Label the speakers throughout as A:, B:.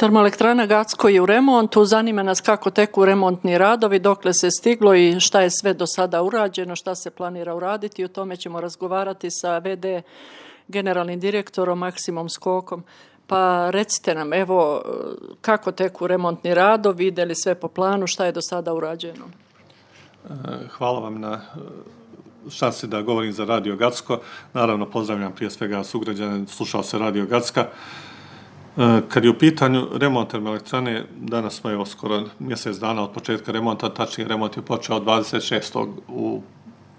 A: Termoelektrana Gacko je u remontu, zanima nas kako teku remontni radovi, dokle se stiglo i šta je sve do sada urađeno, šta se planira uraditi. O tome ćemo razgovarati sa VD generalnim direktorom Maksimom Skokom. Pa recite nam, evo, kako teku remontni radovi, ide li sve po planu, šta je do sada urađeno?
B: Hvala vam na šansi da govorim za Radio Gacko. Naravno, pozdravljam prije svega sugrađane, slušao se Radio Gacka. Kad je u pitanju remont termoelektrane, danas smo evo skoro mjesec dana od početka remonta, tačnije remont je počeo od 26. u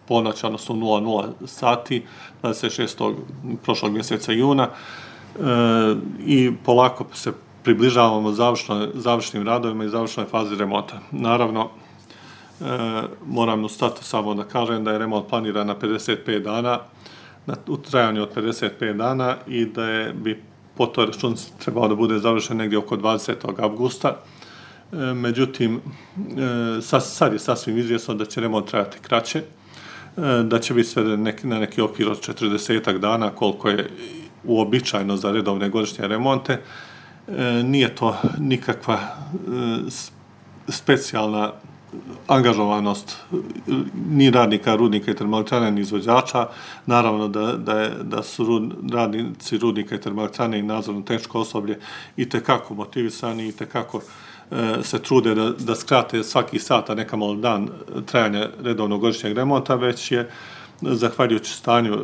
B: ponoć, odnosno 00 sati, 26. prošlog mjeseca juna i polako se približavamo završnim radovima i završnoj fazi remonta. Naravno, moram u startu samo da kažem da je remont planiran na 55 dana, u trajanju od 55 dana i da bi po toj računici trebao da bude završen negdje oko 20. avgusta. Međutim, sad je sasvim izvjesno da će remont trajati kraće, da će biti sve na neki okvir od 40 dana, koliko je uobičajeno za redovne godišnje remonte. Nije to nikakva specijalna angažovanost ni radnika, rudnika i termoelektrane, ni izvođača. Naravno da su radnici rudnika i termoelektrane i nadzorno tehničko osoblje i tekako motivisani i tekako se trude da skrate svaki sat, a neka malo dan trajanja redovnog godišnjeg remonta, već je zahvaljujući stanju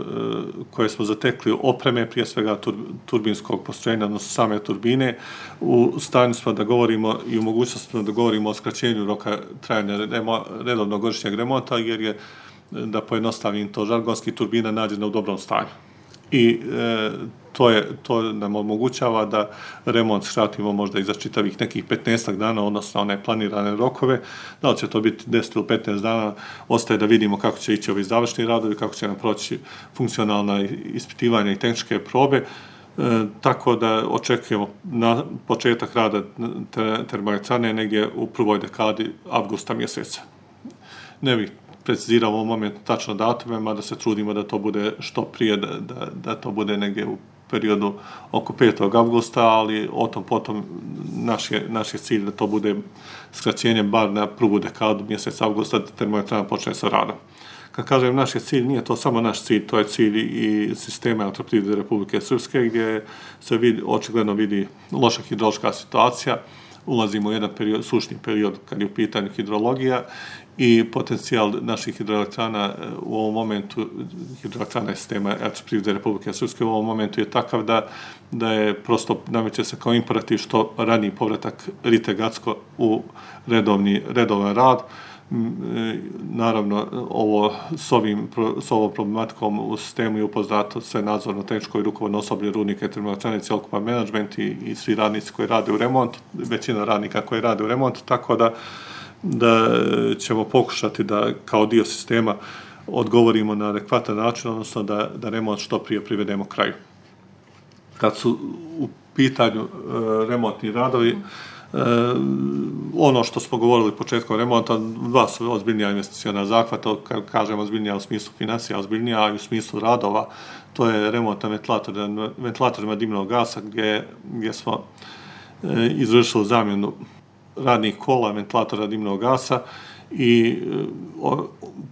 B: koje smo zatekli opreme, prije svega turbinskog postrojenja, odnosno same turbine, u stanju smo da govorimo i u mogućnosti da govorimo o skraćenju roka trajanja redovnog godišnjeg remonta, jer je, da pojednostavim to žargonski, turbina nađena u dobrom stanju. I to nam omogućava da remont skratimo možda i za čitavih nekih 15 dana, odnosno one planirane rokove. Da li će to biti 10 ili 15 dana, ostaje da vidimo kako će ići ovi završni radovi, kako će nam proći funkcionalna ispitivanja i tehničke probe, tako da očekujemo na početak rada termoelektrane negdje u prvoj dekadi avgusta mjeseca. Ne bih precizirao u ovom momentu tačno datume, mada se trudimo da to bude što prije, da to bude negdje u periodu oko 5. avgusta, ali o tom potom naš je cilj da to bude skraćenje bar na prvu dekadu mjeseca avgusta da termoelektrana počne sa radom. Kad kažem naš je cilj, nije to samo naš cilj, to je cilj i sistema Elektroprivrede Republike Srpske, gdje se očigledno vidi loša hidrološka situacija, ulazimo u jedan sušni period kad je u pitanju hidrologija i potencijal naših hidroelektrana u ovom momentu, hidroelektrana sistema Elektroprivrede Republike Srpske u ovom momentu je takav da je prosto nameće se kao imperativ što raniji povratak Rite Gacko u redovan rad. Naravno, s ovom problematikom u sistemu je upoznato sve nadzorno, tehničko i rukovodno osoblje rudnika i termoelektrane, cjelokupan menadžment i svi radnici koji rade u remontu, većina radnika koji rade u remontu, tako da ćemo pokušati da kao dio sistema odgovorimo na adekvatan način, odnosno da remont što prije privedemo kraju. Kad su u pitanju remontni radovi, ono što smo govorili početkom remonta, dva su ozbiljnija investiciona zahvata, kažemo ozbiljnija u smislu financija, ozbiljnija i u smislu radova, to je remont na ventilatorima dimnog gasa gdje smo izvršili zamjenu radnih kola ventilatora dimnog gasa i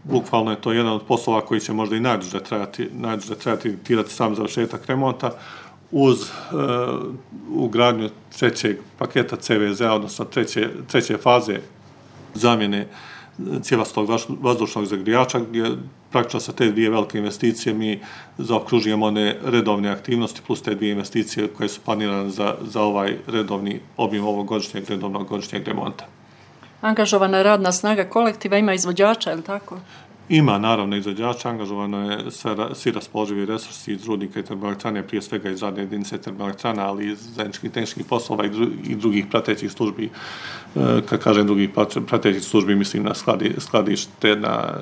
B: bukvalno je to jedan od poslova koji će možda i najduže trajati sam završetak remonta, uz ugradnju trećeg paketa CVZ, odnosno treće faze zamjene cjevastog vazdušnog zagrijača, gdje praktično sa te dvije velike investicije mi zaokružujemo one redovne aktivnosti plus te dvije investicije koje su planirane za ovaj redovni obim ovog redovnog godišnjeg remonta.
A: Angažovana je radna snaga kolektiva, ima izvođača, je li tako?
B: Ima naravno izvođača, angažovano je svi raspoloživi resursi iz rudnika i termoelektrane, prije svega iz radne jedinice termoelektrana, ali i iz zajedničkih tehničkih poslova i drugih pratećih službi. Kad kažem drugih pratećih službi, mislim na skladište, na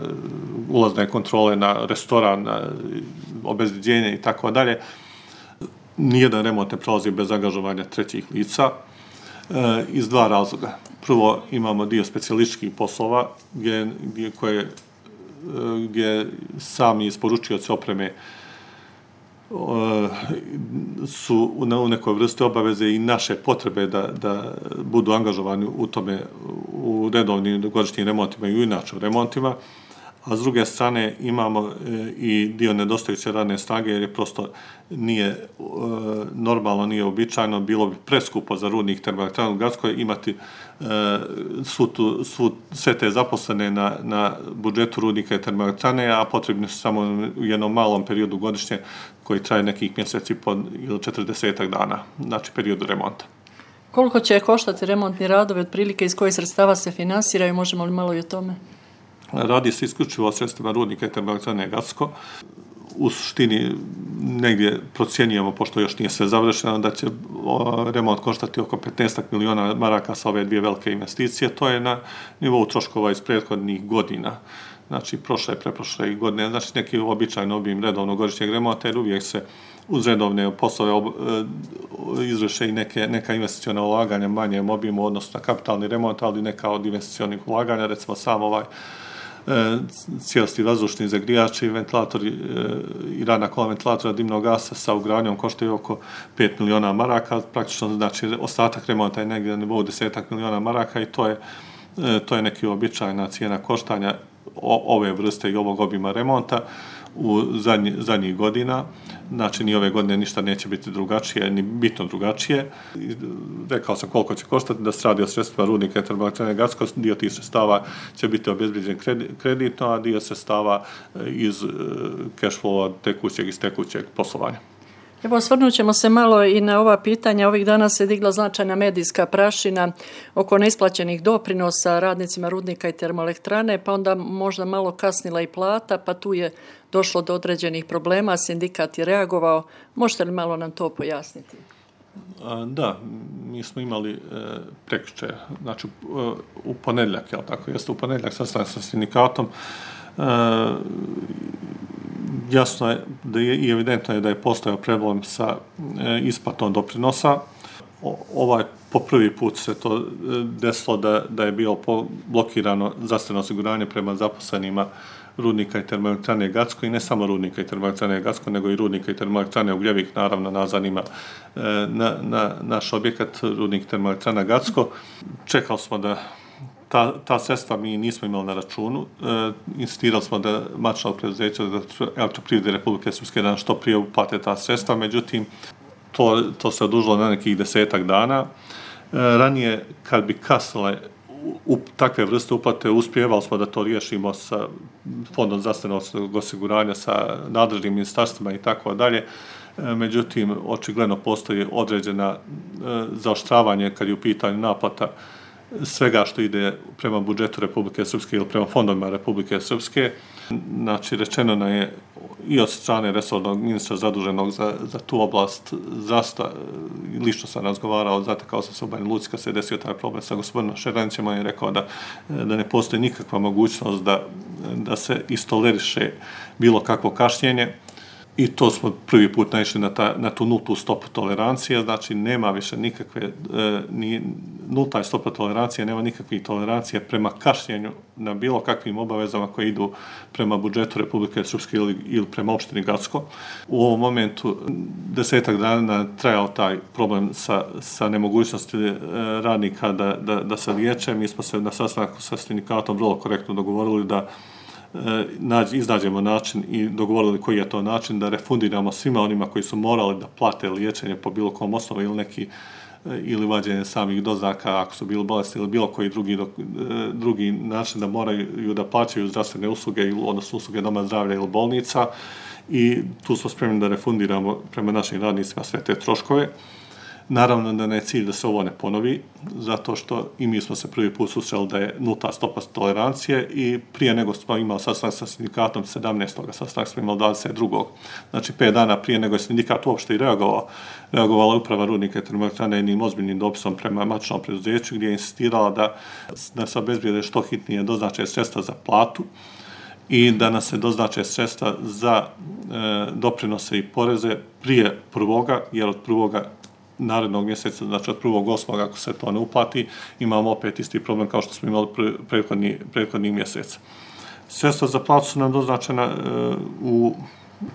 B: ulazne kontrole, na restoran, na obezbeđenje i tako dalje. Nijedan remont ne prolazi bez angažovanja trećih lica iz dva razloga. Prvo, imamo dio specijalističkih poslova gdje sami isporučioci opreme su u nekoj vrsti obaveze i naše potrebe da budu angažovani u tome, u redovnim godišnjim remontima i u inače u remontima, a s druge strane imamo i dio nedostajuće radne snage jer je prosto nije normalno, nije običajno, bilo bi preskupo za rudnik termoelektranu u Gacko imati sve te zaposlene na budžetu rudnika i termoelektrane, a potrebni su samo u jednom malom periodu godišnje koji traje nekih mjeseci ili 40 dana, znači periodu remonta.
A: Koliko će koštati remontni radovi, otprilike iz kojih sredstava se finansiraju, možemo li malo i o tome?
B: Radi se isključivo o sredstvima rudnika i termoelektrane Gacko. U suštini negdje procjenjujemo, pošto još nije sve završeno, da će remont koštati oko 15 miliona maraka sa ove dvije velike investicije. To je na nivou troškova iz prethodnih godina. Znači, prošle, preprošle godine, znači neki običajan obim redovnog godišnjeg remonta, jer uvijek se uz redovne poslove izvrše i neka investiciona ulaganja manjem obimu, odnosno na kapitalni remont, ali neka od investicionih ulaganja, recimo sam cijelosti vazdušni zagrijači, ventilatori i radna kola ventilatora dimnog gasa sa ugradnjom koštaju oko 5 miliona maraka, praktično znači ostatak remonta je negdje na nivou 10 miliona maraka i to je neki običajna cijena koštanja ove vrste i ovog obima remonta u zadnjih godina. Znači, ni ove godine ništa neće biti drugačije, ni bitno drugačije. Rekao sam koliko će koštati, da se radi o sredstvima rudnika i termoelektrane Gacko, dio tih sredstava će biti obezbeđen kreditno, a dio sredstava iz cash flowa iz tekućeg poslovanja.
A: Evo, osvrnut ćemo se malo i na ova pitanja. Ovih dana se digla značajna medijska prašina oko neisplaćenih doprinosa radnicima rudnika i termoelektrane, pa onda možda malo kasnila i plata, pa tu je došlo do određenih problema, sindikat je reagovao. Možete li malo nam to pojasniti?
B: Da, mi smo imali prekjuče, znači u ponedjeljak, jel tako, jeste u ponedjeljak sastanak sa sindikatom. Jasno je i evidentno je da je postojao problem sa isplatom doprinosa. Po prvi put se to desilo da je bilo blokirano zdravstveno osiguranje prema zaposlenima rudnika i termoelektrane Gacko i ne samo rudnika i termoelektrane Gacko, nego i rudnika i termoelektrane Ugljevik, naravno nas zanima naš objekat rudnik i termoelektrana Gacko. Čekali smo da ta sredstva mi nismo imali na računu. Insistirali smo da matično preduzeće Elektroprivrede Republike Srpske da što prije uplate ta sredstva, međutim to se odužilo na nekih 10 dana. Ranije, kad bi kasnile takve vrste uplate, uspjevali smo da to riješimo sa Fondom zdravstvenog osiguranja, sa nadležnim ministarstvima i tako dalje. Međutim, očigledno postoji određena zaoštravanje kad je u pitanju naplata svega što ide prema budžetu Republike Srpske ili prema fondovima Republike Srpske. Znači, rečeno nam je i od strane resornog ministra zaduženog za tu oblast zdravstva, lično sam razgovarao, zatekao sam se u Banja Luci kad se desio taj problem sa gospodinom Šeranićem, on je rekao da ne postoji nikakva mogućnost da se istoleriše bilo kakvo kašnjenje. I to smo prvi put naišli na tu nultu stopu tolerancije, znači nema više nikakve, nulta je stopa tolerancije, nema nikakvih tolerancije prema kašnjenju na bilo kakvim obavezama koje idu prema budžetu Republike Srpske ili prema opštini Gacko. U ovom momentu 10 dana trajao taj problem sa nemogućnosti radnika da se liječe. Mi smo se na sastanku sa sindikatom vrlo korektno dogovorili da iznađemo način i dogovorili koji je to način da refundiramo svima onima koji su morali da plate liječenje po bilo kom osnovu ili vađenje samih doznaka ako su bili bolesni ili bilo koji drugi način da moraju da plaćaju zdravstvene usluge, odnosno usluge doma zdravlja ili bolnica, i tu smo spremni da refundiramo prema našim radnicima sve te troškove. Naravno da ne je cilj da se ovo ne ponovi, zato što i mi smo se prvi put susreli da je nulta stopa tolerancije i prije nego smo imali sastanak sa sindikatom 17. sastanak smo imali 22. Znači 5 dana prije nego je sindikat uopšte i reagovala uprava rudnika i termoelektrane jednim ozbiljnim dopisom prema matičnom preduzeću gdje je insistirala da se obezbijede što hitnije doznače sredstva za platu i da nas se doznače sredstva za doprinose i poreze prije prvoga, jer od prvoga narednog mjeseca, znači od 1.8. ako se to ne uplati, imamo opet isti problem kao što smo imali prethodni mjesec. Sredstva za platu su nam doznačena u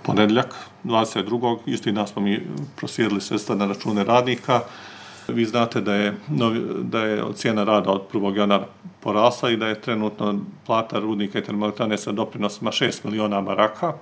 B: ponedjeljak, 22. Isti dan smo mi proslijedili sredstva na račune radnika. Vi znate da je cijena rada od 1. januara porasla i da je trenutno plata rudnika i termoelektrane sa doprinosima 6 miliona maraka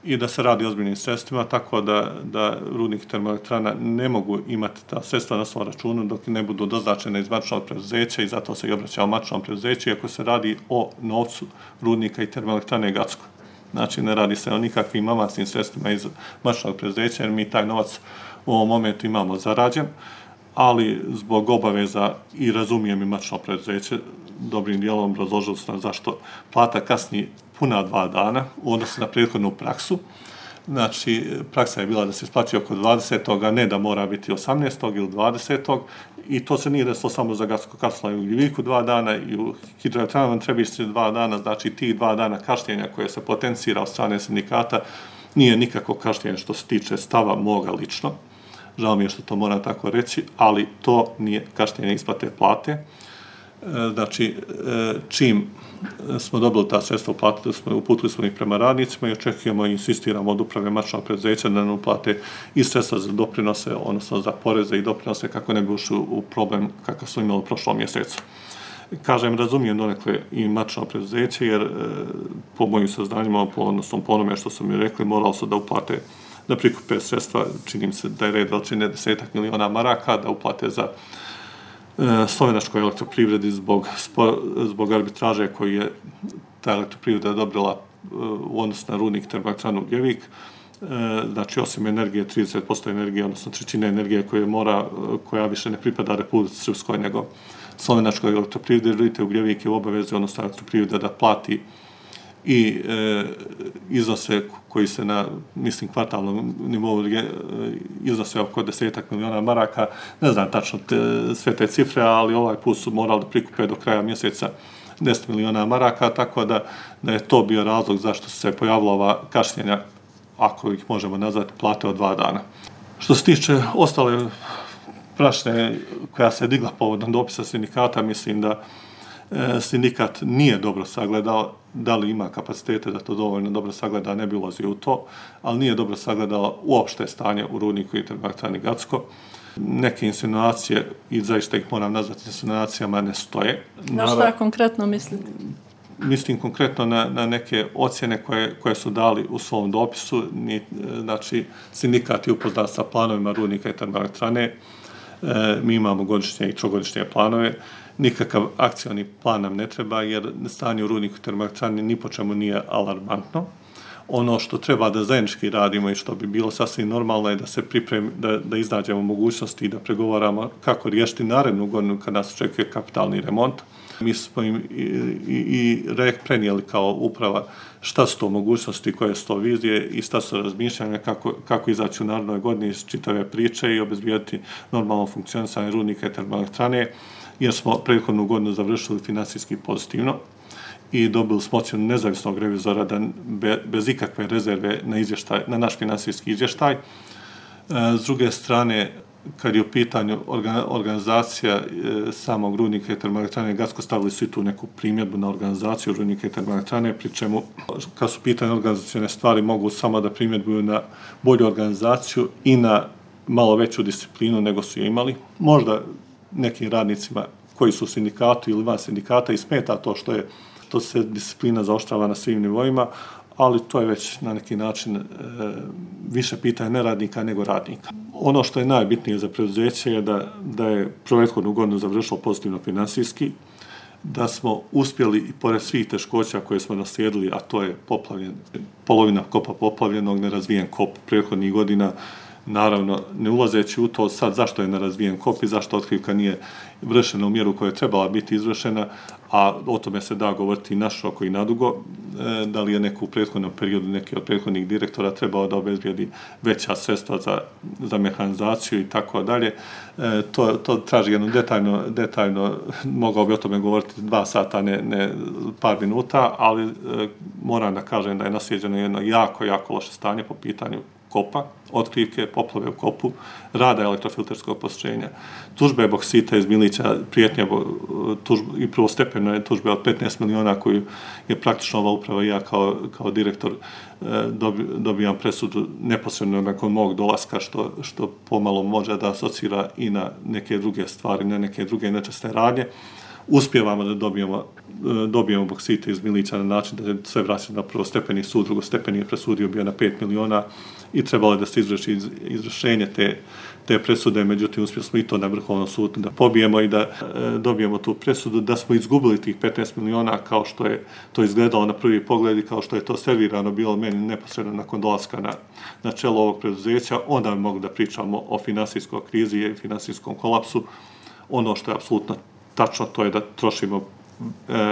B: i da se radi o ozbiljnim sredstvima, tako da rudnik i termoelektrana ne mogu imati ta sredstva na svom računu dok ne budu doznačene iz matičnog preduzeća i zato se i obraćamo matičnom preduzeću, iako se radi o novcu rudnika i termoelektrane Gacko. Znači, ne radi se o nikakvim avansnim sredstvima iz matičnog preduzeća, jer mi taj novac u ovom momentu imamo zarađen, ali zbog obaveza i razumijem i matično preduzeće, dobrim dijelom obrazložili su nam zašto plata kasni puna 2 dana u odnosu na prethodnu praksu. Znači, praksa je bila da se isplaćuje oko 20. a ne da mora biti 18. ili 20. I to se nije desilo samo za Gacko Kaštela i Ugljiviku 2 dana i u hidroelektranama Trebišnjici 2 dana, znači tih 2 dana kašnjenja koje se potencira od strane sindikata nije nikako kašnjenje što se tiče stava moga lično. Žao mi je što to moram tako reći, ali to nije kašnjenje isplate plate. Znači, čim smo dobili ta sredstva, uputili smo ih prema radnicima i očekujemo i insistiramo od uprave matičnog preduzeća da nam uplate i sredstva za doprinose, odnosno za poreze i doprinose, kako ne bi ušli u problem kakav smo imali u prošlom mjesecu. Kažem, razumijem donekle i matično preduzeće, jer po mojim saznanjima, odnosno po onome što su mi rekli, moralo su da uplate, da prikupe sredstva, činim se da je red veličine 10 miliona maraka, da uplate za slovenačkoj elektroprivredi zbog arbitraže koju je ta elektroprivreda odobrila u odnosu na rudnik termoelektranu Ugljevik. Znači, osim energije, 30% energije, odnosno 1/3 energije koja više ne pripada Republici Srpskoj, nego slovenačkoj elektroprivredi, vidite, Ugljevik je u obavezi, odnosno elektroprivreda, da plati i iznose koji se na, mislim, kvartalnom nivou iznose oko 10 miliona maraka. Ne znam tačno sve te cifre, ali ovaj put su morali da prikupe do kraja mjeseca 10 miliona maraka, tako da je to bio razlog zašto se pojavila ova kašnjenja, ako ih možemo nazvati, plate od 2 dana. Što se tiče ostale prašne koja se digla povodom dopisa sindikata, mislim da sindikat nije dobro sagledao, da li ima kapacitete da to dovoljno dobro sagleda, ne bi ulazio u to, ali nije dobro sagledao uopšte stanje u rudniku i termoelektrani Gacko. Neke insinuacije, i zaista ih moram nazvati insinuacijama, ne stoje.
A: Na šta konkretno mislite?
B: Mislim konkretno na neke ocjene koje su dali u svom dopisu. Znači, sindikat je upoznat sa planovima rudnika i termoelektrane. Mi imamo godišnje i trogodišnje planove. Nikakav akcioni plan nam ne treba, jer stanje u rudniku i termoelektrani ni po čemu nije alarmantno. Ono što treba da zajednički radimo i što bi bilo sasvim normalno je da se pripremi, da iznađemo mogućnosti i da pregovaramo kako riješiti narednu godinu kad nas očekuje kapitalni remont. Mi smo im i prenijeli kao uprava šta su to mogućnosti, koje su to vizije i šta su razmišljanja, kako izaći u narednoj godini iz čitave priče i obezbijeti normalno funkcionisanje rudnika i termoelektrane, jer smo prethodnu godinu završili finansijski pozitivno i dobili smo ocjenu nezavisnog revizora da bez ikakve rezerve na naš finansijski izvještaj. S druge strane, kad je u pitanju organizacija samog rudnika i termoelektrane Gacko, stavili su i tu neku primjedbu na organizaciju rudnika i termoelektrane, pri čemu, kad su u pitanju organizacijone stvari, mogu samo da primjedbuju na bolju organizaciju i na malo veću disciplinu nego su je imali. Možda nekim radnicima koji su u sindikatu ili van sindikata i smeta to što se disciplina zaoštrava na svim nivoima, ali to je već na neki način više pitanje ne radnika nego radnika. Ono što je najbitnije za preduzeće je da je prethodnu godinu završilo pozitivno finansijski, da smo uspjeli i pored svih teškoća koje smo naslijedili, a to je polovina kopa poplavljenog, nerazvijen kop prethodnih godina, naravno, ne ulazeći u to sad zašto je nerazvijen kop i zašto otkrivka nije vršena u mjeru koja je trebala biti izvršena, a o tome se da govoriti i naširoko i nadugo, da li je neko u prethodnom periodu, neki od prethodnih direktora trebao da obezbijedi veća sredstva za mehanizaciju i tako dalje. To traži jedno detaljno, mogao bi o tome govoriti 2 sata, ne par minuta, ali moram da kažem da je naslijeđeno jedno jako loše stanje po pitanju kopa, otkrivke, poplave u kopu, rada elektrofilterskog postrojenja, tužbe boksita iz Milića, prijetnja i prvostepeno je tužbe od 15 miliona koju je praktično ova uprava i ja kao direktor dobijam presudu neposredno nakon mog dolaska, što pomalo može da asocira i na neke druge stvari, na neke druge nečasne radnje. Uspijevamo da dobijemo boksite iz Milića na način da je sve vraćeno na prvostepeni sud, drugostepeni je presudio bio na 5 miliona i trebalo je da se izvrši izvršenje te presude, međutim uspjeli smo i to na Vrhovnom sudu da pobijemo i da dobijemo tu presudu, da smo izgubili tih 15 miliona kao što je to izgledalo na prvi pogled i kao što je to servirano bilo meni neposredno nakon dolaska na čelo ovog preduzeća, onda bi mogli da pričamo o finansijskoj krizi i finansijskom kolapsu. Ono što je apsolutno tačno, to je da trošimo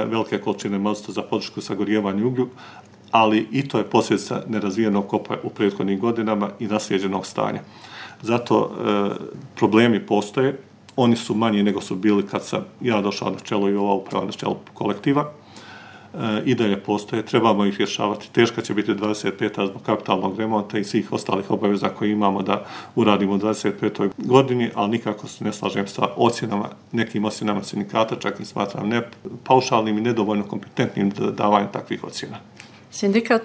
B: velike količine mazota za podršku sagorijevanju uglju, ali i to je posljedica nerazvijenog kopa u prethodnim godinama i naslijeđenog stanja. Zato problemi postoje, oni su manji nego su bili kad sam ja došao na čelo i ova uprava na čelo kolektiva. I dalje postoje, trebamo ih rješavati. Teška će biti 25. zbog kapitalnog remonta i svih ostalih obaveza koje imamo da uradimo u 25. godini, ali nikako se ne slažem sa nekim ocjenama sindikata, čak i smatram ne paušalnim i nedovoljno kompetentnim da davanju takvih ocjena.
A: Sindikat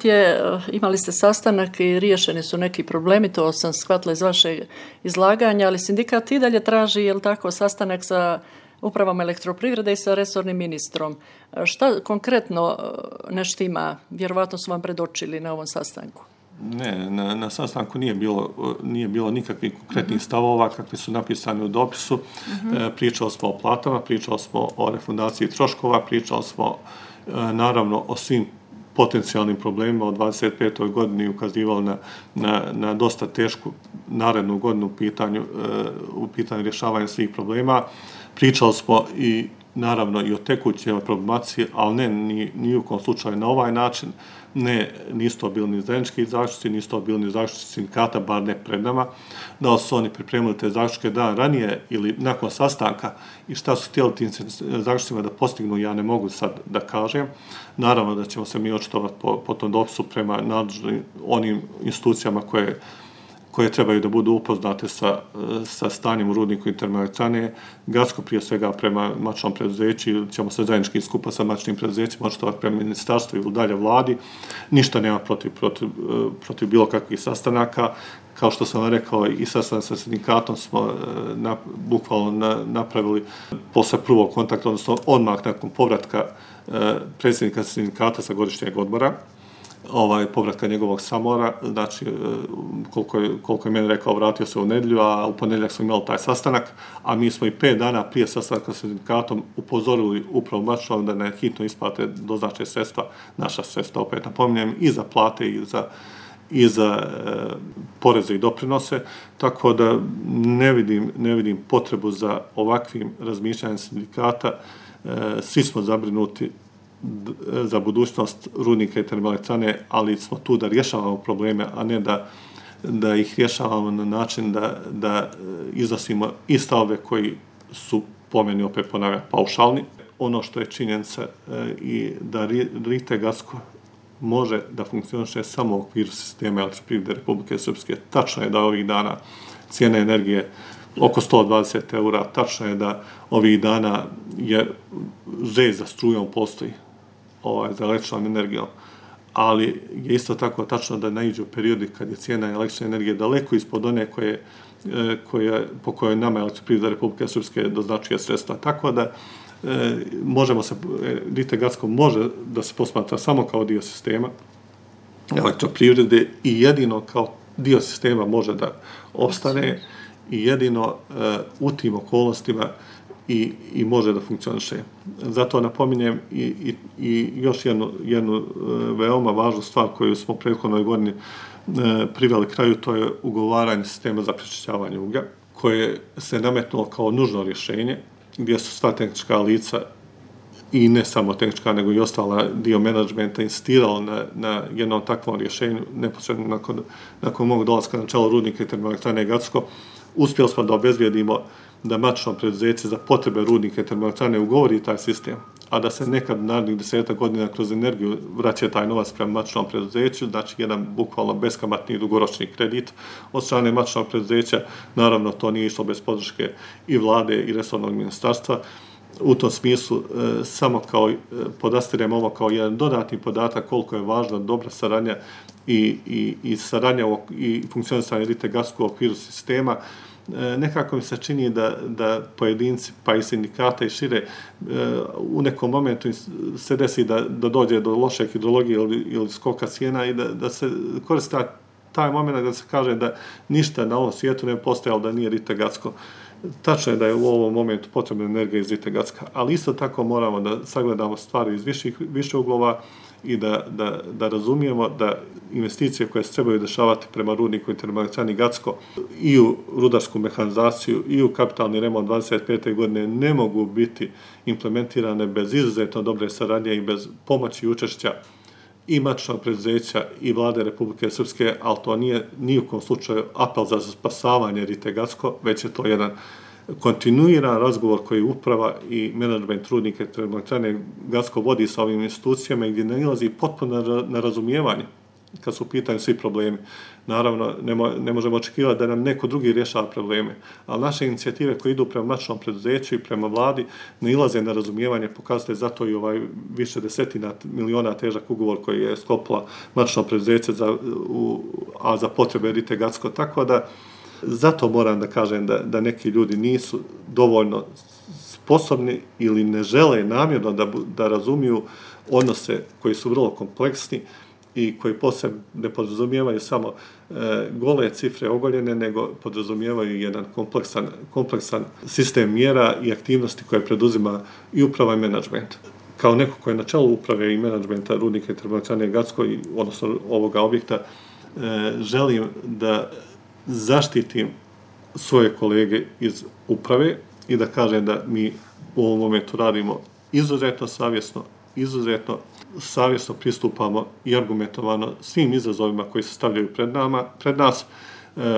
A: imali ste sastanak i riješeni su neki problemi, to sam shvatila iz vašeg izlaganja, ali sindikat i dalje traži, sastanak sa upravom elektroprivrede i sa resornim ministrom. Šta konkretno ne štima? Vjerovatno su vam predočili na ovom sastanku.
B: Ne, na sastanku nije bilo nikakvih konkretnih stavova kakvi su napisani u dopisu. Pričali smo o platama, pričali smo o refundaciji troškova, pričali smo naravno o svim potencijalnim problemima od 25. godini, ukazivali na dosta tešku narednu godinu u pitanju rješavanja svih problema. Pričali smo i naravno i o tekućoj problematici, ali ne ni u kom slučaju na ovaj način. Nisu to bili ni zajednički zaključci, nisu to bili ni zaključci sindikata, bar ne pred nama. Da li su oni pripremili te zaključke dan ranije ili nakon sastanka i šta su htjeli tim zaključcima da postignu, ja ne mogu sad da kažem. Naravno da ćemo se mi očitovati po tom dopisu prema nadležnim onim institucijama koje trebaju da budu upoznate sa stanjem u rudniku i termoelektrane. Gasko prije svega prema matičnom preduzeću, ćemo se zajednički skupa sa matičnim preduzećima očitovati prema ministarstvu ili dalje vladi. Ništa nema protiv bilo kakvih sastanaka. Kao što sam vam rekao, i sastanak sa sindikatom smo bukvalno napravili posle prvog kontakta, odnosno odmah nakon povratka predsjednika sindikata sa godišnjeg odmora, povratka njegovog samora, znači koliko je meni rekao, vratio se u nedjelju, a u ponedjeljak smo imali taj sastanak, a mi smo i 5 dana prije sastanka sa sindikatom upozorili upravo matičnom da ne hitno isplate doznače sredstva, naša sredstva, opet napominjem, i za plate i za poreze i doprinose, tako da ne vidim potrebu za ovakvim razmišljanjem sindikata. Svi smo zabrinuti za budućnost rudnika i termoelektrane, ali smo tu da rješavamo probleme, a ne da ih rješavamo na način da iznosimo i stavove koji su, po meni opet ponavljam, paušalni. Ono što je činjenica i da RITE Gasko može da funkcioniše samo u okviru sistema elektroprivrede Republike Srpske. Tačno je da ovih dana cijena energije oko 120 eura, tačno je da ovih dana je želj za strujom postoji, za električnom energijom, ali je isto tako tačno da naiđu periodi kad je cijena električne energije daleko ispod one po kojoj nama elektroprivreda Republike Srpske doznačuje sredstva. Tako da RITE Gasko može da se posmatra samo kao dio sistema elektroprivrede i jedino kao dio sistema može da opstane i jedino u tim okolnostima i može da funkcioniše. Zato napominjem i još jednu veoma važnu stvar koju smo u prethodnoj godini priveli kraju, to je ugovaranje sistema za prečišćavanje uglja, koje se nametnulo kao nužno rješenje, gdje su sva tehnička lica i ne samo tehnička, nego i ostala dio menadžmenta insistirala na jednom takvom rješenju, neposredno nakon mog dolaska na čelo rudnika i termoelektrane Gacko. Uspjeli smo da obezbijedimo da matično preduzeće za potrebe rudnika i termoelektrane ugovori taj sistem, a da se nekad narednih 10 godina kroz energiju vraća taj novac prema matičnom preduzeću, znači jedan bukvalno beskamatni dugoročni kredit od strane matičnog preduzeća. Naravno, to nije išlo bez podrške i vlade i resornog ministarstva. U tom smislu samo podastirem ovo kao jedan dodatni podatak koliko je važna dobra saradnja i saradnja i funkcionisanje Rite-Gas u okviru sistema. Nekako mi se čini da pojedinci, pa i sindikata i šire, u nekom momentu se desi da dođe do loše hidrologije ili skoka cijena i da se koristi taj moment da se kaže da ništa na ovom svijetu ne postojalo da nije Rite-Gatsko. Tačno je da je u ovom momentu potrebna energija iz Rite-Gatska, ali isto tako moramo da sagledamo stvari iz više uglova i da razumijemo da investicije koje se trebaju dešavati prema rudniku i termoelektrani Gatsko i u rudarsku mehanizaciju i u kapitalni remont 25. godine ne mogu biti implementirane bez izuzetno dobre saradnje i bez pomoći i učešća i matičnog preduzeća i vlade Republike Srpske, ali to nije ni u kom slučaju apel za spasavanje Rite-Gatsko, već je to jedan kontinuiran razgovor koji uprava i menadžment rudnika termoelektrane Gatsko vodi sa ovim institucijama gdje nailazi potpuno na razumijevanje kad su u pitanju svi problemi. Naravno, ne možemo očekivati da nam neko drugi rješava probleme, ali naše inicijative koje idu prema matičnom preduzeću i prema vladi nailaze na razumijevanje, pokazatelj zato i ovaj više desetina miliona težak ugovor koji je sklopila matično preduzeće a za potrebe Rite-Gatsko. Tako da zato moram da kažem da neki ljudi nisu dovoljno sposobni ili ne žele namjerno da razumiju odnose koji su vrlo kompleksni i koji posebno ne podrazumijevaju samo gole cifre ogoljene, nego podrazumijevaju jedan kompleksan sistem mjera i aktivnosti koje preduzima i uprava i menadžment. Kao neko koji je na čelu uprave i menadžmenta rudnika i termoelektrane Gatsko, odnosno ovoga objekta, želim da zaštitim svoje kolege iz uprave i da kažem da mi u ovom momentu radimo izuzetno savjesno pristupamo i argumentovano svim izazovima koji se stavljaju pred nas.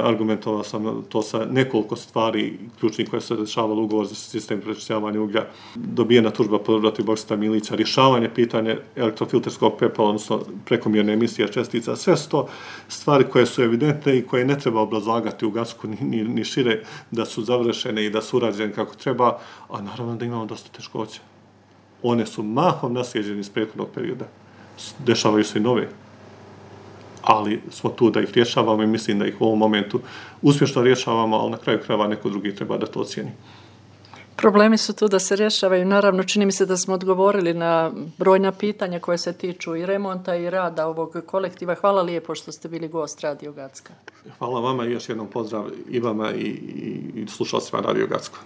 B: Argumentovao sam to sa nekoliko stvari ključnih koje se dešavalo, ugovor za sistem prečišćavanja uglja, dobijena tužba protiv Boksita Milića, rješavanje pitanja elektrofilterskog pepela, odnosno prekomjerne emisije čestica. Sve su to stvari koje su evidentne i koje ne treba obrazlagati u Gatsku ni šire, da su završene i da su urađene kako treba, a naravno da imamo dosta teškoća. One su mahom naslijeđene iz prethodnog perioda. Dešavaju se i nove. Ali smo tu da ih rješavamo i mislim da ih u ovom momentu uspješno rješavamo, ali na kraju krajeva neko drugi treba da to ocijeni.
A: Problemi su tu da se rješavaju. Naravno, čini mi se da smo odgovorili na brojna pitanja koje se tiču i remonta i rada ovog kolektiva. Hvala lijepo što ste bili gost Radio Gatska.
B: Hvala vama i još jednom pozdrav i vama i slušalcima Radio Gatsko.